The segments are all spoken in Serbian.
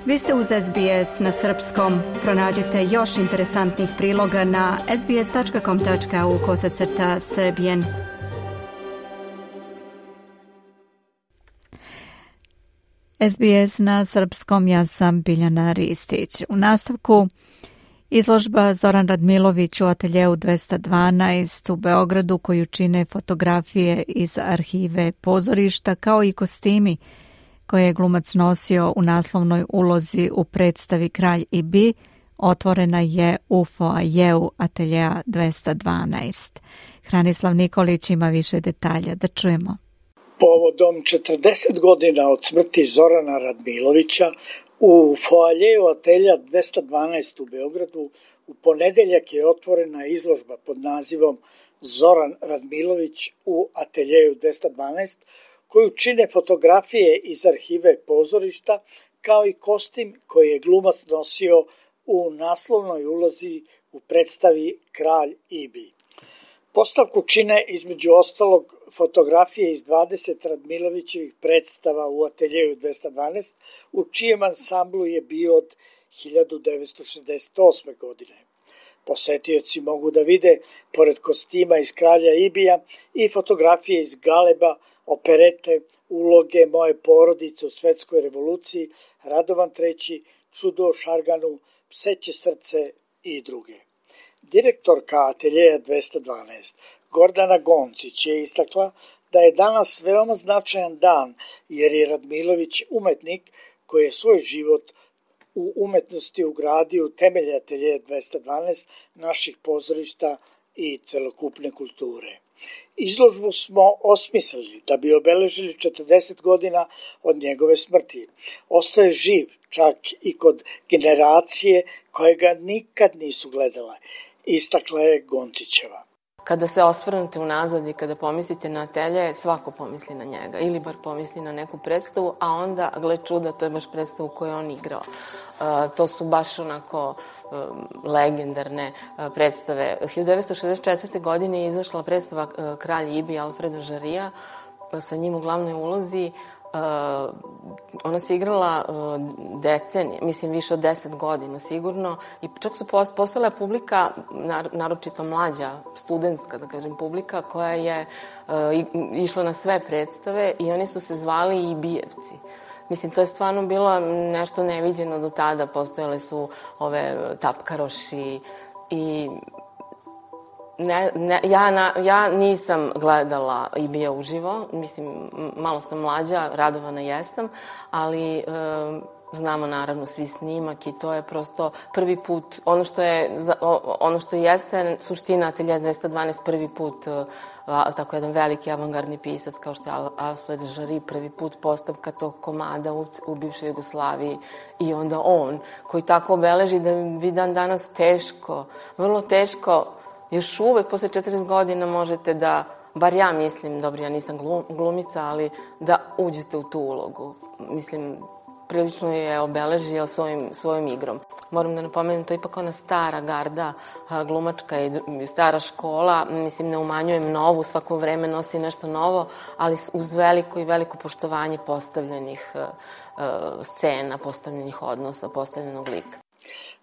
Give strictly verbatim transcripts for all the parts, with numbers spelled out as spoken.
Vi ste uz S B S na srpskom. Pronađite još interesantnih priloga na sbs.com.au kosacrta srbijen. S B S na srpskom, ja sam Biljana Ristić. U nastavku izložba Zoran Radmilović u ateljeu dvesta dvanaest u Beogradu, koju čine fotografije iz arhive pozorišta kao i kostimi koje je glumac nosio u naslovnoj ulozi u predstavi Kralj i Bi, otvorena je u foajeu ateljeja dvesta dvanaest. Hranislav Nikolić ima više detalja, da čujemo. Povodom četrdeset godina od smrti Zorana Radmilovića u foajeu ateljeja dvesta dvanaest u Beogradu u ponedeljak je otvorena izložba pod nazivom Zoran Radmilović u ateljeju dvesta dvanaest, koju čine fotografije iz arhive pozorišta, kao i kostim koji je glumac nosio u naslovnoj ulozi u predstavi Kralj i Bi. Postavku čine između ostalog fotografije iz dvadeset Radmilovićevih predstava u ateljeju dvesta dvanaest, u čijem ansamblu je bio od hiljadu devetsto šezdeset osme. godine. Posetioci mogu da vide, pored kostima iz Kralja Ibija, i fotografije iz Galeba, operete, uloge Moje porodice u Svetskoj revoluciji, Radovan treći, Čudo o Šarganu, Pseće srce i druge. Direktorka ateljeja dvesta dvanaest, Gordana Goncić, je istakla da je danas veoma značajan dan, jer je Radmilović umetnik koji je svoj život u umetnosti ugradio u temelje ateljeja dvesta dvanaest, naših pozorišta i celokupne kulture. Izložbu smo osmislili da bi obeležili četrdeset godina od njegove smrti. Ostao je živ čak i kod generacije koje ga nikad nisu gledale, istakla je Goncićeva. Kada se osvrnete unazad i kada pomislite na atelje, svako pomisli na njega ili bar pomisli na neku predstavu, a onda, gle čuda, to je baš predstavu koju je on igrao. Uh, to su baš onako um, legendarne uh, predstave. hiljadu devetsto šezdeset četvrte. godine je izašla predstava uh, Kralj Ibi Alfreda Žarija, uh, sa njim u glavnoj ulozi. Uh, ona se igrala uh, decenije, mislim više od deset godina sigurno, i čak su postala publika, nar, naročito mlađa, studentska, da kažem, publika, koja je uh, išla na sve predstave i oni su se zvali Ibijevci. Mislim, to je stvarno bilo nešto neviđeno do tada, postojale su ove tapkaroši i Ne, ne, ja, na, ja nisam gledala Ibija uživo, mislim, malo sam mlađa, radovana jesam, ali e, znamo naravno svi snimak i to je prosto prvi put, ono što je, ono što jeste suština ateljeja dvesta dvanaest, prvi put, a, tako jedan veliki avangardni pisac kao što je Alfred Žari, prvi put postavka tog komada u, u bivšoj Jugoslaviji, i onda on, koji tako obeleži da vi dan danas teško, vrlo teško, još uvek posle četrdeset godina možete da, bar ja mislim, dobro, ja nisam glumica, ali da uđete u tu ulogu. Mislim, prilično je obeležio svojim, svojim igrom. Moram da napomenem, to je ipak ona stara garda glumačka i stara škola. Mislim, ne umanjujem novu, svako vreme nosi nešto novo, ali uz veliko i veliko poštovanje postavljenih uh, scena, postavljenih odnosa, postavljenog lika.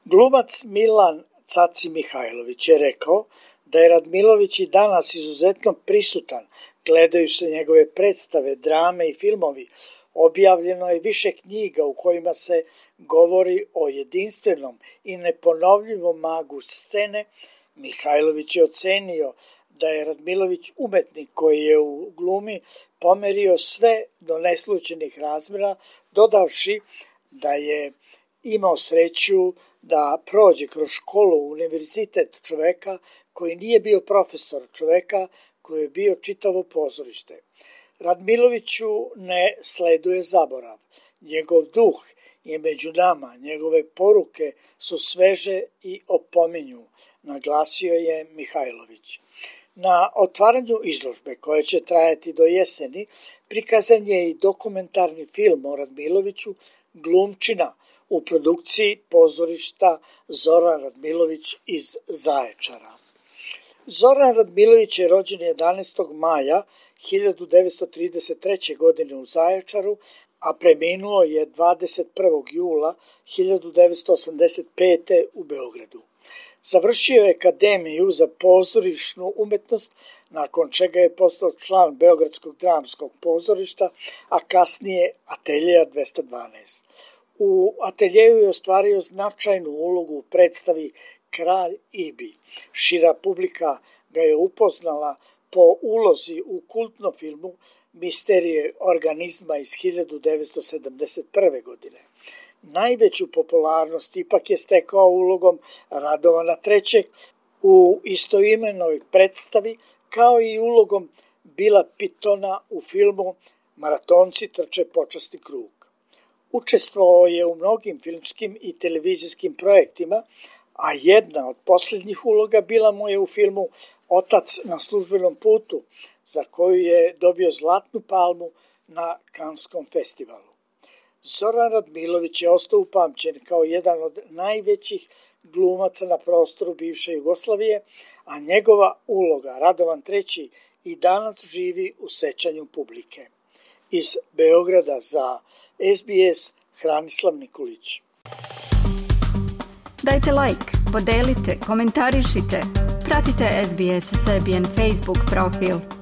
Glumac Milan Caci Mihajlović je rekao da je Radmilović i danas izuzetno prisutan. Gledaju se njegove predstave, drame i filmovi. Objavljeno je više knjiga u kojima se govori o jedinstvenom i neponovljivom magu scene. Mihajlović je ocenio da je Radmilović umetnik koji je u glumi pomerio sve do neslućenih razmera, dodavši da je imao sreću da prođe kroz školu, univerzitet čoveka koji nije bio profesor, čoveka koji je bio čitavo pozorište. Radmiloviću ne sleduje zaborav. Njegov duh je među nama, njegove poruke su sveže i opominju, naglasio je Mihajlović. Na otvaranju izložbe, koja će trajati do jeseni, prikazan je i dokumentarni film o Radmiloviću Glumčina u produkciji pozorišta Zoran Radmilović iz Zaječara. Zoran Radmilović je rođen jedanaestog maja hiljadu devetsto trideset treće. godine u Zaječaru, a preminuo je dvadeset prvog jula hiljadu devetsto osamdeset pete. u Beogradu. Završio je Akademiju za pozorišnu umetnost, nakon čega je postao član Beogradskog dramskog pozorišta, a kasnije Ateljeja dvesta dvanaest. U Ateljeju je ostvario značajnu ulogu u predstavi Kralj Ibi. Šira publika ga je upoznala po ulozi u kultnom filmu Misterije organizma iz hiljadu devetsto sedamdeset prve. godine. Najveću popularnost ipak je stekao ulogom Radovana trećeg u istoimenoj predstavi, kao i ulogom Bila Pitona u filmu Maratonci trče počasni krug. Učestvovao je u mnogim filmskim i televizijskim projektima, a jedna od posljednjih uloga bila mu je u filmu Otac na službenom putu, za koju je dobio Zlatnu palmu na Kanskom festivalu. Zoran Radmilović je ostao upamćen kao jedan od najvećih glumaca na prostoru bivše Jugoslavije, a njegova uloga Radovan treći i danas živi u sećanju publike. Iz Beograda za S B S Hranislav Nikolić. Dajte like, podelite, komentarišite, pratite S B S Serbian Facebook profil.